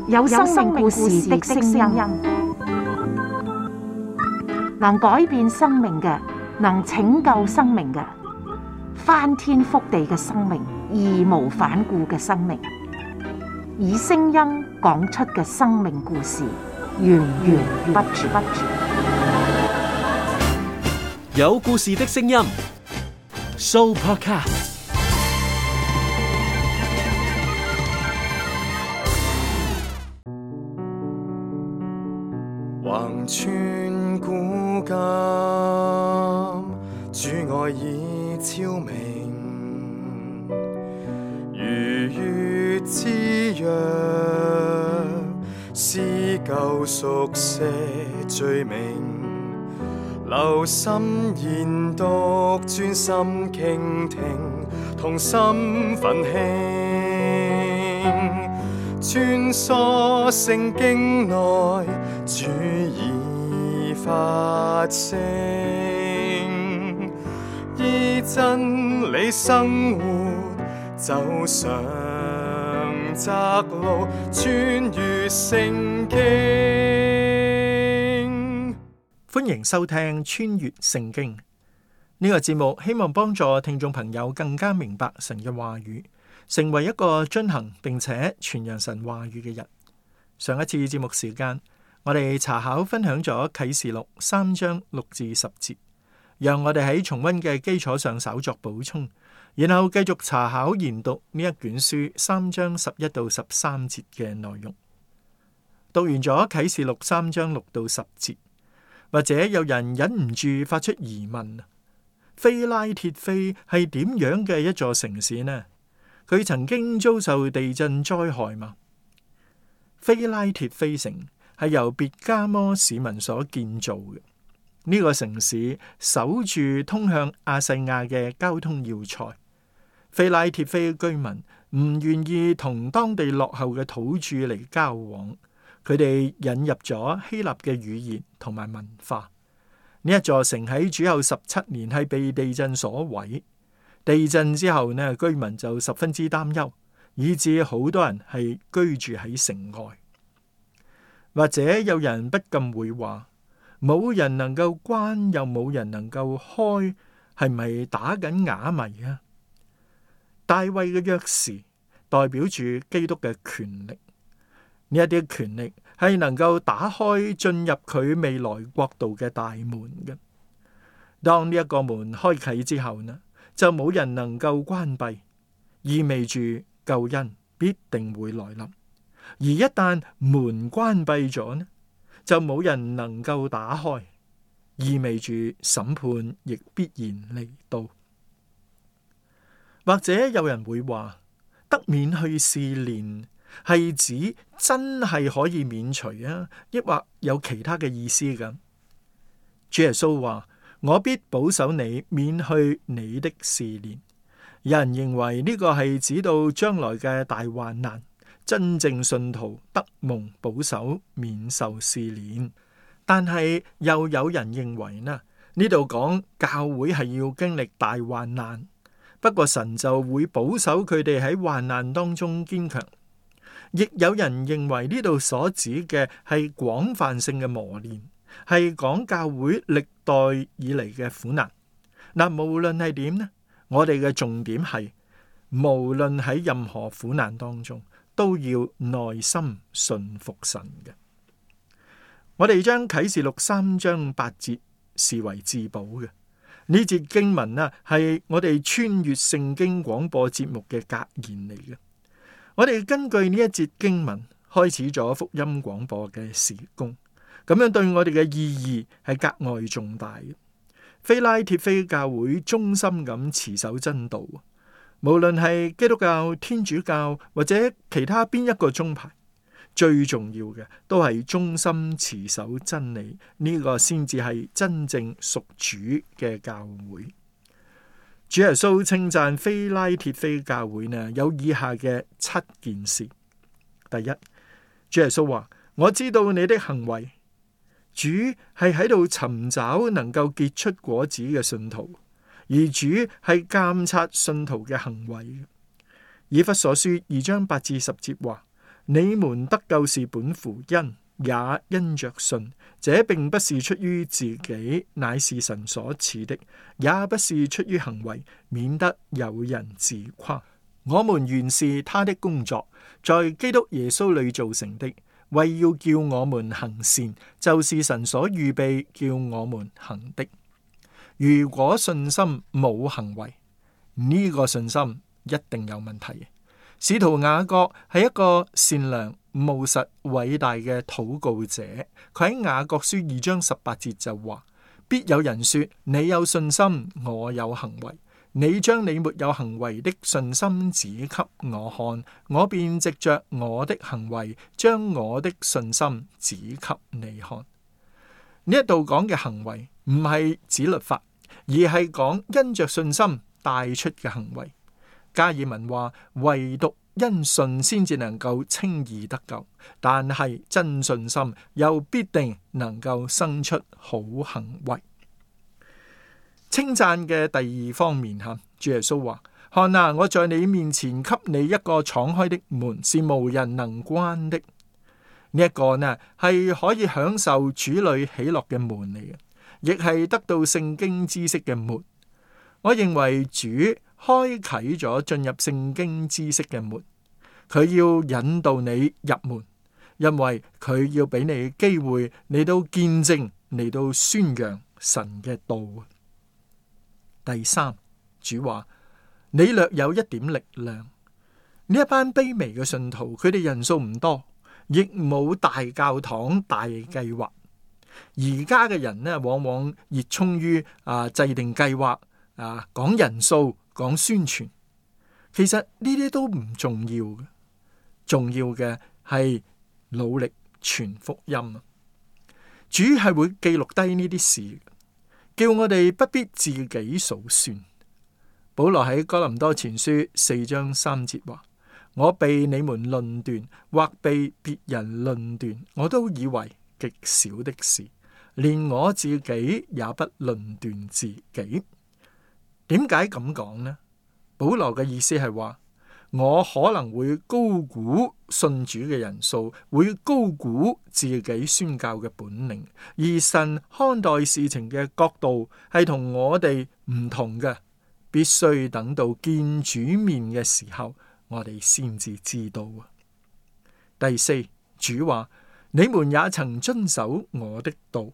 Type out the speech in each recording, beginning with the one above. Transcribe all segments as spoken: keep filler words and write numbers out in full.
有生命故事的聲音，能改變生命嘅，能拯救生命嘅，翻天覆地嘅生命，義無反顧嘅生命，以聲音講出嘅生命故事，源源不絕。有故事的聲音 ，Sooopodcast。橫穿古今，主愛已超明，如月之約，撕舊熟寫罪名，留心研讀，專心傾聽，同心奮興，穿梭聖經內，主已發聲，依真理生活，走上窄路，穿越聖經。歡迎收聽穿越聖經呢個節目，希望幫助聽眾朋友更加明白神嘅話語，成為一個遵行並且傳揚神話語嘅人。上一次節目時間，我哋查考分享咗啟示錄三章六至十節，讓我哋喺重溫嘅基礎上稍作補充，然後繼續查考研讀呢一卷書三章十一到十三節嘅內容。讀完咗啟示錄三章六到十節，或者有人忍唔住發出疑問：非拉鐵非係點樣嘅一座城市呢？佢曾經遭受地震災害嗎？非拉鐵非城係由別加摩市民所建造嘅。呢、這個城市守住通向亞細亞嘅交通要塞。非拉鐵非居民唔願意同當地落後嘅土著嚟交往，佢哋引入咗希臘嘅語言同埋文化。呢一座城喺主後十七年係被地震所毀。地震之後呢，居民就十分之擔憂，以致好多人係居住喺城外。或者有人不禁會話：冇人能夠關，又冇人能夠開，係咪打緊啞謎啊？大衛嘅鑰匙代表住基督嘅權力，呢一啲權力係能夠打開進入佢未來國度嘅大門嘅。當呢一個門開啟之後呢，就冇人能夠關閉，意味住救恩必定會來臨。而一旦門關閉咗呢，就冇人能夠打開，意味住審判亦必然嚟到。或者有人會話，得免去試煉係指真係可以免除啊，抑或有其他嘅意思㗎？主耶穌話：我必保守你免去你的試煉。有人認為呢個係指到將來嘅大患難，真正信徒得蒙保守免受試煉。但係又有人認為呢，呢度講教會係要經歷大患難，不過神就會保守佢哋喺患難當中堅強。亦有人認為呢度所指嘅係廣泛性嘅磨練，係講教會歷代以嚟嘅苦難。嗱，無論係點呢，我哋嘅重點係，無論喺任何苦難當中，都要耐心順服神嘅。我哋將啟示錄三章八節視為至寶嘅。呢節經文啊，係我哋穿越聖經廣播節目嘅格言嚟嘅。我哋根據呢一節經文開始咗福音廣播嘅事工，咁樣對我哋嘅意義係格外重大嘅。非拉鐵非教會忠心咁持守真道，無論係基督教、天主教或者其他邊一個宗派，最重要嘅都係忠心持守真理，呢、這個先至係真正屬主嘅教會。主耶穌稱讚非拉鐵非教會呢，有以下嘅七件事。第一，主耶穌話：我知道你的行為。主係喺度尋找能夠結出果子嘅信徒，而主係監察信徒嘅行為。以弗所書二章八至十節話：你們得救是本乎恩，也因着信。這並不是出於自己，乃是神所賜的；也不是出於行為，免得有人自誇。我們原是他的工作，在基督耶穌裏造成的，為要叫我們行善，就是神所預備叫我們行的。如果信心冇行為，呢個信心一定有問題。使徒雅各係一個善良、務實、偉大嘅禱告者，佢喺雅各書二章十八節就話：必有人說，你有信心，我有行為。你將你沒有行為的信心指給我看，我便藉着我的行為，將我的信心指給你看。呢一度講嘅行為唔係指律法，而係講因着信心帶出嘅行為。加爾文話，唯獨因信先至能夠稱義得救，但係真信心又必定能夠生出好行為。稱讚嘅第二方面吓，主耶穌話：看啊，我在你面前給你一個敞開的門，是無人能關的。呢、這、一個呢係可以享受主裏喜樂嘅門嚟嘅，亦係得到聖經知識嘅門。我認為主開啟咗進入聖經知識嘅門，佢要引導你入門，因為佢要俾你機會嚟到見證，嚟到宣揚神嘅道。第三，主話你略有一點力量。呢一班卑微嘅信徒，佢哋人數唔多，亦冇大教堂、大計劃。而家嘅人呢，往往熱衷於啊制定計劃啊，講人數、講宣傳。其實呢啲都唔重要嘅，重要嘅係努力傳福音啊！主係會記錄低呢啲事，叫我哋不必自己數算。保羅喺哥林多前書四章三節話：我被你們論斷，或被別人論斷，我都以為極小的事，連我自己也不論斷自己。點解咁講呢？保羅嘅意思係話，我可能會高估信主嘅人數，會高估自己宣教嘅本領，而神看待事情嘅角度係同我哋唔同嘅，必須等到見主面嘅時候，我哋先至知道。第四，主話：你們也曾遵守我的道。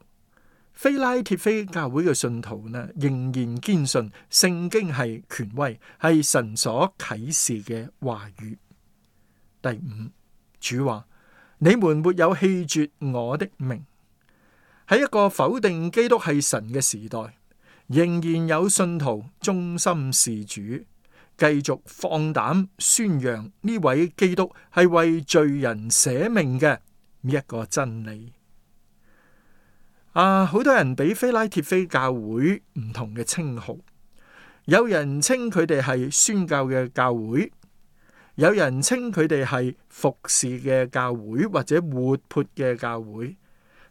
非拉鐵非教會嘅信徒呢，仍然堅信聖經係權威，係神所啟示嘅話語。第五，主話：你們沒有棄絕我的名。喺一個否定基督係神嘅時代，仍然有信徒忠心事主，繼續放膽宣揚呢位基督係為罪人捨命嘅呢一個真理。啊！好多人俾非拉鐵非教會唔同嘅稱號，有人稱佢哋係宣教嘅教會，有人稱佢哋係服侍嘅教會或者活潑嘅教會。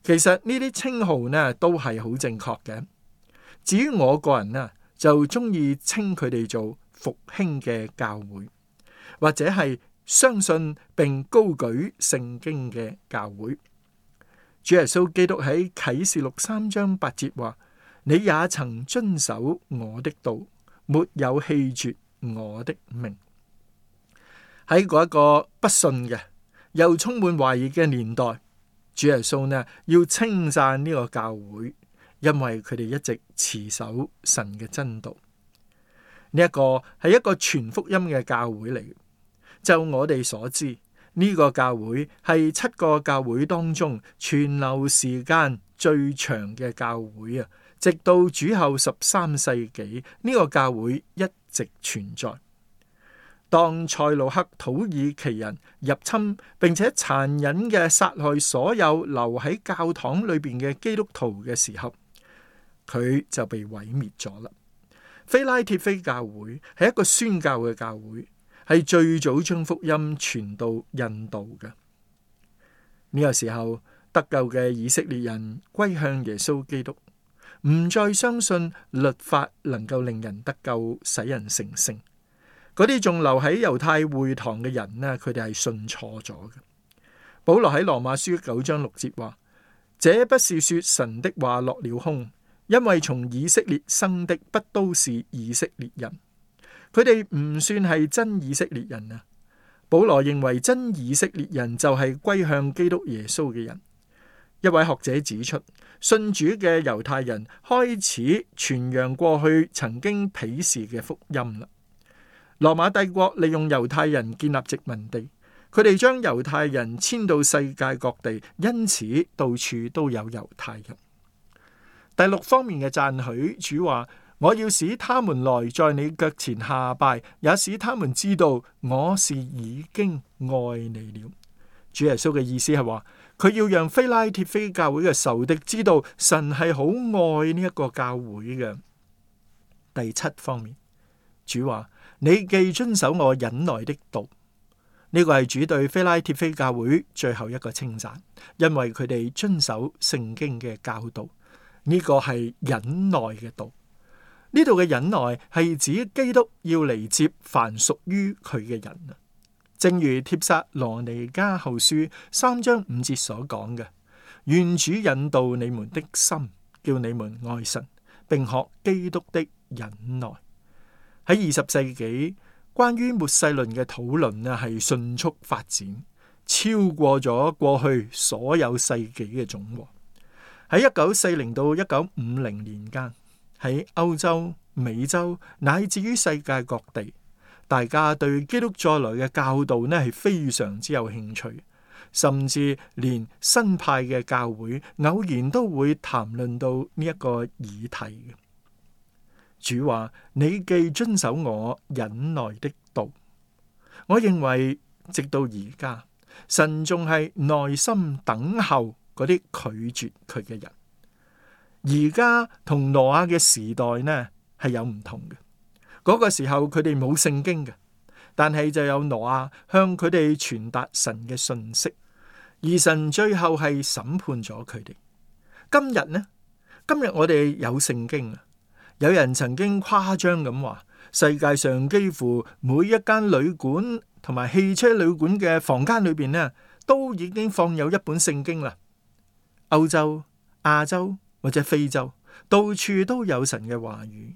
其實呢啲稱號呢都係好正確嘅。至於我個人呢，就中意稱佢哋做復興嘅教會，或者係相信並高舉聖經嘅教會。主耶穌基督喺啟示錄三章八節話：你也曾遵守我的道，沒有棄絕我的命。喺嗰一個不信嘅又充滿懷疑嘅年代，主耶穌呢要稱讚呢個教會，因為佢哋一直持守神嘅真道。呢一個係一個傳福音嘅教會嚟。就我哋所知，呢個教會係七個教會當中存留時間最長嘅教會啊！直到主後十三世紀，呢個教會一直存在。當塞魯克土耳其人入侵並且殘忍嘅殺害所有留喺教堂裏邊嘅基督徒嘅時候，佢就被毀滅咗啦。非拉鐵非教會係一個宣教嘅教會，係最早將福音傳到印度嘅。呢個時候，得救嘅以色列人歸向耶穌基督，唔再相信律法能夠令人得救，使人成聖。嗰啲仲留喺猶太會堂嘅人呢，佢哋係信錯咗嘅。保羅喺羅馬書九章六節話：這不是說神的話落了空，因為從以色列生的不都是以色列人。佢哋唔算係真以色列人啊。保羅認為真以色列人就係歸向基督耶穌嘅人。一位學者指出，信主嘅猶太人開始傳揚過去曾經鄙視嘅福音啦。羅馬帝國利用猶太人建立殖民地，佢哋將猶太人遷到世界各地，因此到處都有猶太人。第六方面嘅讚許，主話：我要使他們來在你腳前下拜，也使他們知道我是已經愛你了。主耶穌嘅意思係話，佢要讓非拉鐵非教會嘅仇敵知道神係好愛呢一個教會嘅。第七方面，主話：你既遵守我忍耐的道，呢個係主對非拉鐵非教會最後一個稱讚，因為佢哋遵守聖經嘅教導。呢個係忍耐嘅道。呢度嘅忍耐係指基督要嚟接凡屬於佢嘅人啊。正如帖撒羅尼迦後書三章五節所講嘅，願主引導你們的心，叫你們愛神，並學基督的忍耐。喺二十世紀，關於末世論嘅討論啊，係迅速發展，超過咗過去所有世紀嘅總和。喺一九四零到一九五零年間，喺歐洲、美洲乃至於世界各地，大家對基督再來嘅教導呢係非常之有興趣，甚至連新派嘅教會偶然都會談論到呢一個議題。主話：你既遵守我忍耐的道。我認為直到而家，神仲係耐心等候嗰啲拒絕佢嘅人。而家同挪亞嘅時代呢係有唔同嘅。嗰個時候佢哋冇聖經嘅，但係就有挪亞向佢哋傳達神嘅信息，而神最後係審判咗佢哋。今日呢？今日我哋有聖經啊！有人曾經誇張咁話，世界上幾乎每一間旅館同埋汽車旅館嘅房間裏邊呢，都已經放有一本聖經啦。歐洲、亞洲或者非洲，到處都有神嘅話語。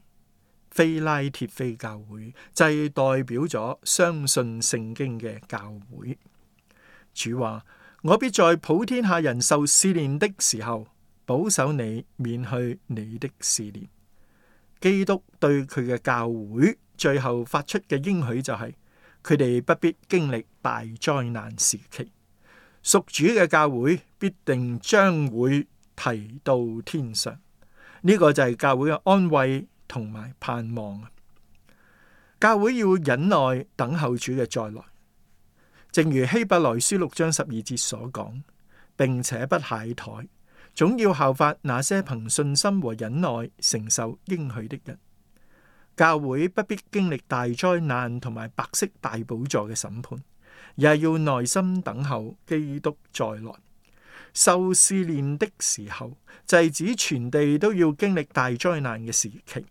非拉鐵非教會就係代表咗相信聖經嘅教會。主話：我必在普天下人受試煉的時候，保守你免去你的試煉。基督對佢嘅教會最後發出嘅應許就係，佢哋不必經歷大災難時期，屬主嘅教會必定將會提到天上。呢、這個就係教會嘅安慰同埋盼望。教會要忍耐等候主嘅再來，正如希伯來書六章十二節所講，並且不懈怠，總要效法那些憑信心和忍耐承受應許的人。教會不必經歷大災難同埋白色大寶座嘅審判，而係要耐心等候基督再來。受試煉的時候，就係指全地都要經歷大災難嘅時期。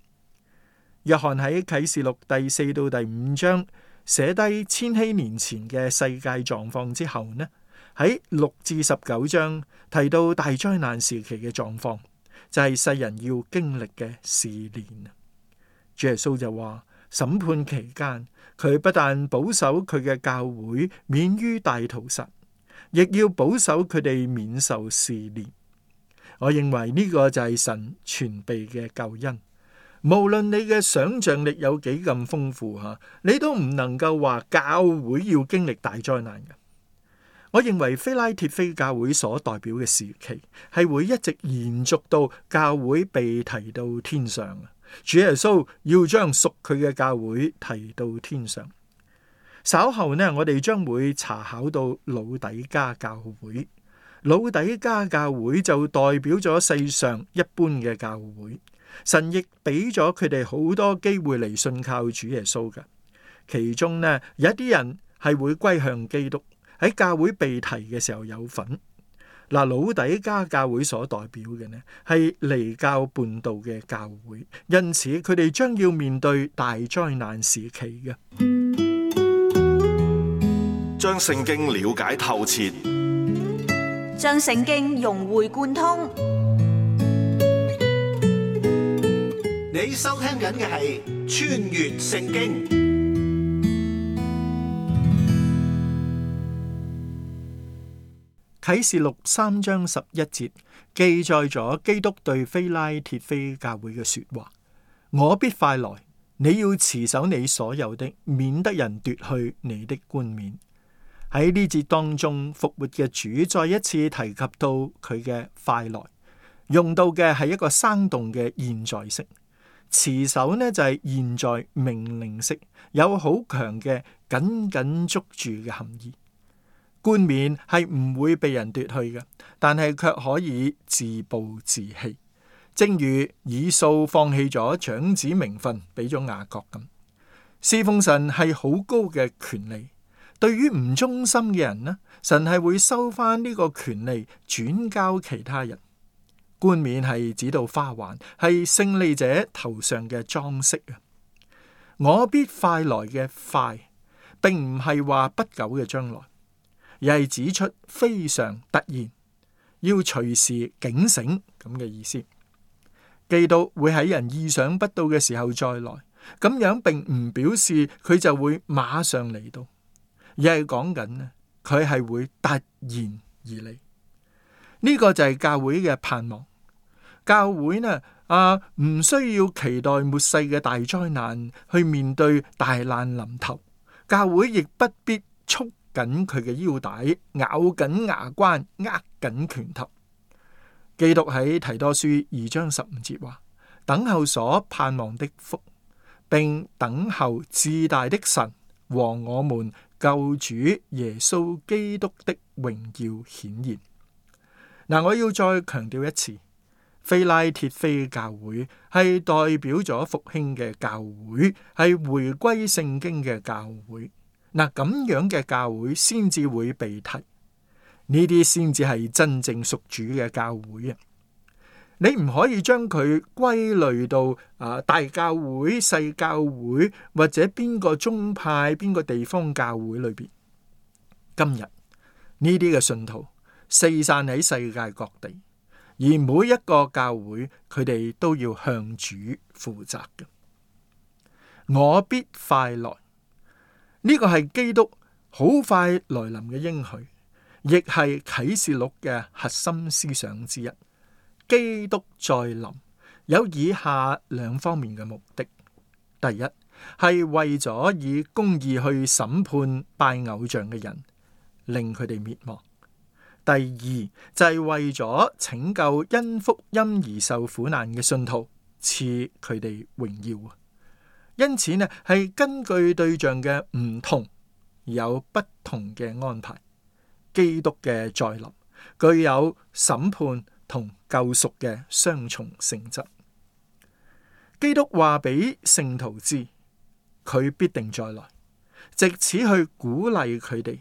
約翰喺啟示錄第四到第五章寫低千禧年前嘅世界狀況之後呢，喺六至十九章提到大災難時期嘅狀況，就係世人要經歷嘅試煉。主耶穌就話，審判期間佢不但保守佢嘅教會免於大屠殺，亦要保守佢哋免受試煉。我認為呢個就係神全備嘅救恩。無論你嘅想象力有幾咁豐富吓，你都唔能夠話教會要經歷大災難嘅。我認為非拉鐵非教會所代表嘅時期係會一直延續到教會被提到天上。主耶穌要將屬佢嘅教會提到天上。稍後呢，我哋將會查考到老底嘉教會。老底嘉教會就代表咗世上一般嘅教會。神亦俾咗佢哋好多機會嚟信靠主耶穌嘅，其中呢，有一啲人係會歸向基督，喺教會被提嘅時候有份。嗱，老底嘉教會所代表嘅呢係離教叛道嘅教會，因此佢哋將要面對大災難時期嘅。將聖經了解透徹，將聖經融會貫通。你收聽緊嘅係《穿越聖經》。啟示錄三章十一節記載咗基督對非拉鐵非教會嘅說話：我必快來，你要持守你所有的，免得人奪去你的冠冕。喺呢節當中，復活嘅主再一次提及到佢嘅快來，用到嘅係一個生動嘅現在式。持守呢就係現在命令式，有好強嘅緊緊捉住嘅含義。冠冕係唔會被人奪去嘅，但係卻可以自暴自棄，正如以掃放棄咗長子名分俾咗雅各咁。侍奉神係好高嘅權利，對於唔忠心嘅人呢，神係會收翻呢個權利轉交其他人。冠冕係指到花環，係勝利者頭上嘅裝飾啊！我必快來嘅快，並唔係話不久嘅將來，而係指出非常突然，要隨時警醒咁嘅意思。基督會喺人意想不到嘅時候再來，咁樣並唔表示佢就會馬上嚟到，而係講緊呢，佢係會突然而嚟。呢個就係教會嘅盼望。教會呢啊，唔需要期待末世嘅大災難去面對大難臨頭，教會亦不必束緊佢嘅腰帶，咬緊牙關，握緊拳頭。基督喺提多書二章十五節話：等候所盼望的福，並等候至大的神和我們救主耶穌基督的榮耀顯現。嗱，我要再強調一次，非拉鐵非教會係代表咗復興嘅教會，係回歸聖經嘅教會。嗱，咁樣嘅教會先至會被提，呢啲先至係真正屬主嘅教會啊！你唔可以將佢歸類到啊大教會、細教會或者邊個宗派、邊個地方教會裏邊。今日呢啲嘅信徒四散喺世界各地，而每一個教會佢哋都要向主負責嘅。我必快來。呢個係基督好快來臨嘅應許，亦係啟示錄嘅核心思想之一。基督再臨有以下兩方面嘅目的：第一係為咗以公義去審判拜偶像嘅人，令佢哋滅亡；第二就係為咗拯救因福音而受苦難嘅信徒，賜佢哋榮耀。因此呢，係根據對象嘅唔同，有不同嘅安排。基督嘅再臨具有審判同救贖嘅雙重性質。基督話俾聖徒知，佢必定再來，藉此去鼓勵佢哋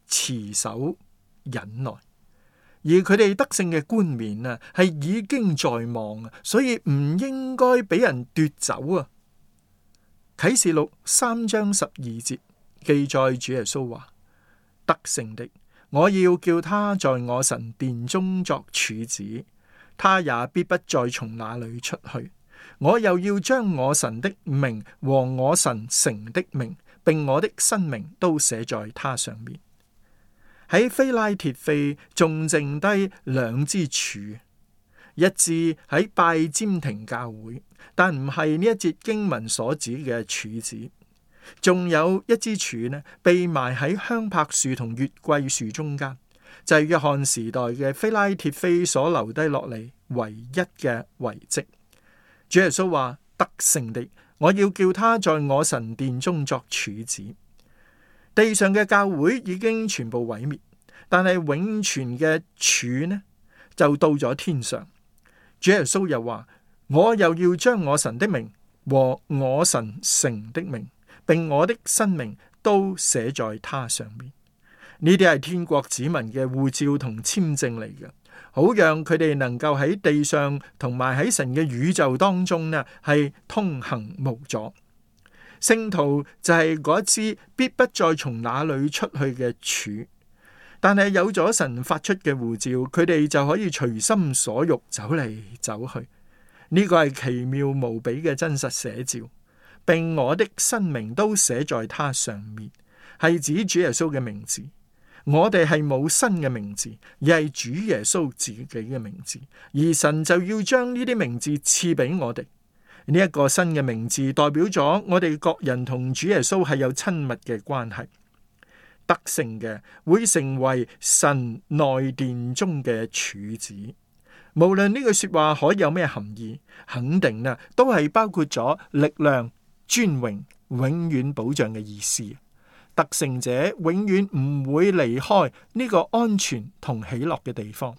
持守忍耐，而佢哋得勝嘅冠冕啊，係已經在望啊，所以唔應該俾人奪走啊。啟示錄三章十二節記載主耶穌話：得勝的，我要叫他在我神殿中作柱子，他也必不再從那裏出去。我又要將我神的名和我神城的名，並我的新名都寫在他上面。喺非拉鐵非仲剩低兩支柱，一支喺拜占庭教會，但唔係呢一節經文所指嘅柱子。仲有一支柱呢，被埋喺香柏樹同月桂樹中間，就係約翰時代嘅非拉鐵非所留低落嚟唯一嘅遺跡。主耶穌話：得勝的，我要叫他在我神殿中作柱子。地上嘅教會已經全部毀滅，但係永存嘅柱呢，就到咗天上。主耶穌又話：我又要將我神的名和我神城的名，並我的新名都寫在他上面。呢啲係天國子民嘅護照同簽證嚟嘅，好讓佢哋能夠喺地上同埋喺神嘅宇宙當中呢，係通行無阻。聖徒就係嗰支必不再從那裏出去嘅柱，但係有咗神發出嘅呼召，佢哋就可以隨心所欲走嚟走去。呢個係奇妙無比嘅真實寫照，並我的新名都寫在他上面，係指主耶穌嘅名字。我哋係冇新嘅名字，而係主耶穌自己嘅名字，而神就要將呢啲名字賜俾我哋。呢、這、一個新嘅名字代表咗我哋各人同主耶穌係有親密嘅關係。得勝嘅會成為神內殿中嘅柱子。無論呢句說話可以有咩含義，肯定啊都係包括咗力量、尊榮、永遠保障嘅意思。得勝者永遠唔會離開呢個安全同喜樂嘅地方。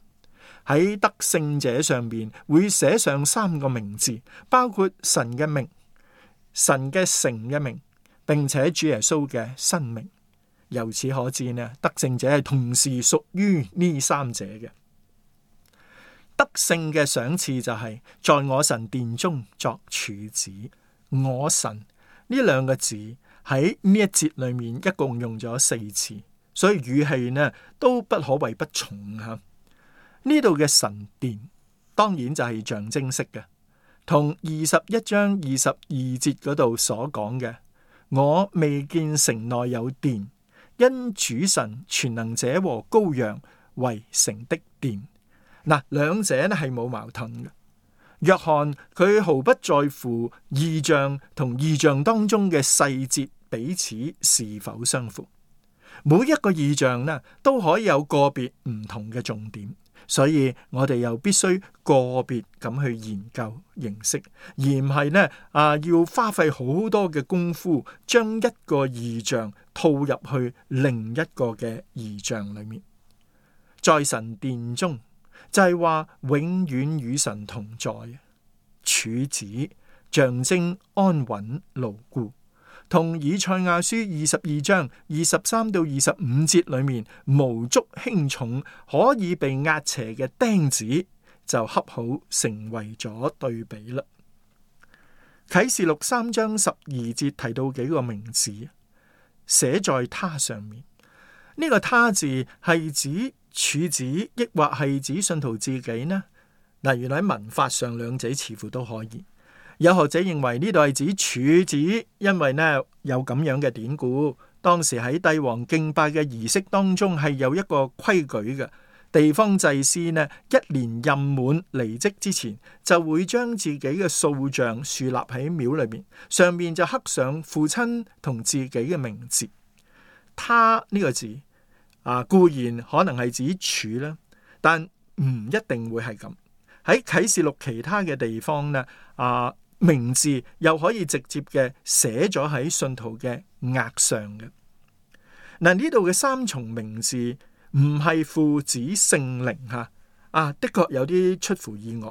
喺得勝者上面會寫上三個名字，包括神嘅名、神嘅城嘅名，並且主耶穌嘅新名。由此可見呢，得勝者係同時屬於呢三者嘅。得勝嘅賞賜就係在我神殿中作柱子。我神呢兩個字喺呢一節裏面一共用咗四次，所以語氣呢都不可謂不重吓。呢度嘅神殿當然就係象徵式嘅，同二十一章二十二節嗰度所講嘅，我未見城內有殿，因主神全能者和羔羊為城的殿。嗱，兩者呢係冇矛盾嘅。約翰佢毫不在乎異象同異象當中嘅細節彼此是否相符，每一個異象呢都可以有個別唔同嘅重點，所以我哋又必須個別咁去研究認識，而唔係呢啊要花費好多嘅功夫將一個異象套入去另一個嘅異象裏面。在神殿中就係話永遠與神同在，柱子象徵安穩牢固，同以賽亞書二十二章二十三到二十五節裏面無足輕重可以被壓斜嘅釘子就恰好成為咗對比啦。啟示錄三章十二節提到幾個名字寫在他上面，呢、這個他字係指柱子抑或係指信徒自己呢？嗱，原來喺文法上兩者似乎都可以。有學者認為呢度係指柱子，因為呢有咁樣嘅典故，當時喺帝王敬拜嘅儀式當中係有一個規矩嘅，地方祭司呢一年任滿離職之前，就會將自己嘅塑像豎立喺廟裏面，上面就刻上父親同自己嘅名字。他呢個字啊，固然可能係指柱啦，但唔一定會係咁。喺啟示錄其他嘅地方呢，啊名字又可以直接嘅寫咗喺信徒嘅額上嘅。嗱，呢度嘅三重名字唔係父子聖靈吓，啊的確有啲出乎意外。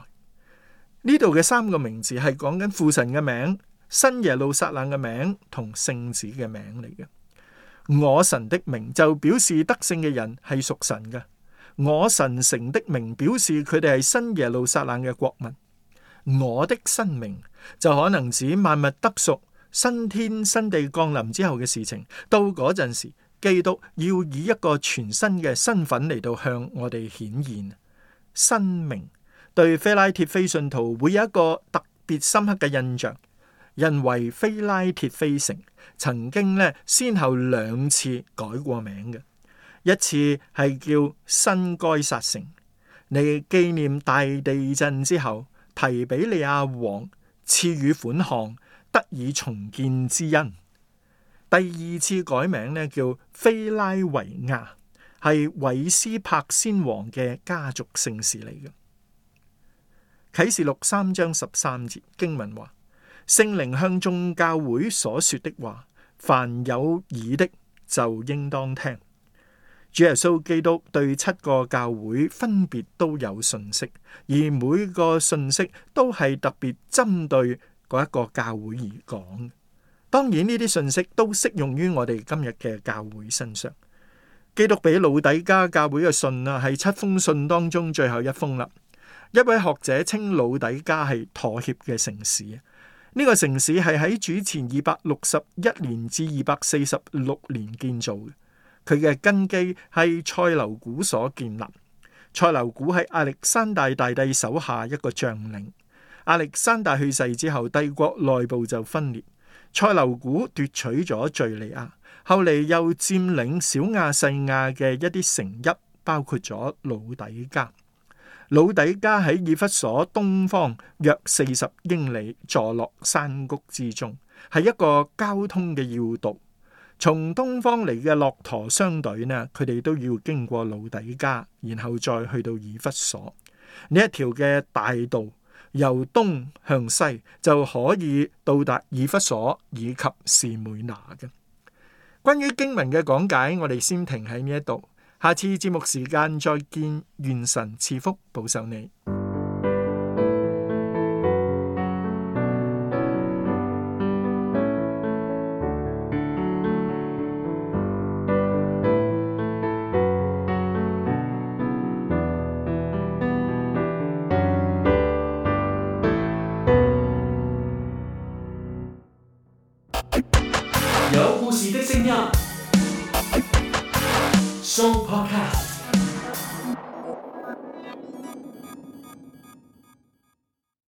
呢度嘅三個名字係講緊父神嘅名、新耶路撒冷嘅名同聖子嘅名嚟嘅。我神的名就表示得勝嘅人係屬神嘅，我神城的名表示佢哋係新耶路撒冷嘅國民。我的新名就可能指萬物得贖、新天新地降臨之後嘅事情。到嗰陣時，基督要以一個全新嘅身份嚟到向我哋顯現。新名對非拉鐵非信徒會有一個特別深刻嘅印象，因為非拉鐵非城曾經咧先後兩次改過名嘅，一次係叫新該撒城，嚟紀念大地震之後提比利亞王賜予款項得以重建之恩。第二次改名呢叫非拉維亞，係韋斯帕先王嘅家族姓氏嚟嘅。啟示錄三章十三節經文話：聖靈向眾教會所說的話，凡有耳的就應當聽。主耶穌基督對七個教會分別都有信息，而每個信息都係特別針對嗰一個教會而講。當然呢啲信息都適用於我哋今日嘅教會身上。基督俾老底嘉教會嘅信啊，係七封信當中最後一封啦。一位學者稱老底嘉係妥協嘅城市。呢、這個城市係喺主前二百六十一年至二百四十六年建造嘅。佢嘅根基係塞琉古所建立。塞琉古係亞歷山大大帝手下一個將領。亞歷山大去世之後，帝國內部就分裂。塞琉古奪取咗敘利亞，後嚟又佔領小亞細亞嘅一啲城邑，包括咗老底加。老底加喺以弗所東方約四十英里，坐落山谷之中，係一個交通嘅要道。從東方嚟嘅駱駝商隊呢，佢哋都要經過老底加，然後再去到以弗所。呢一條嘅大道由東向西就可以到達以弗所以及士每拿嘅。關於經文嘅講解，我哋先停喺呢一度。下次節目時間再見，願神賜福保守你。有故事的聲音，Show Podcast。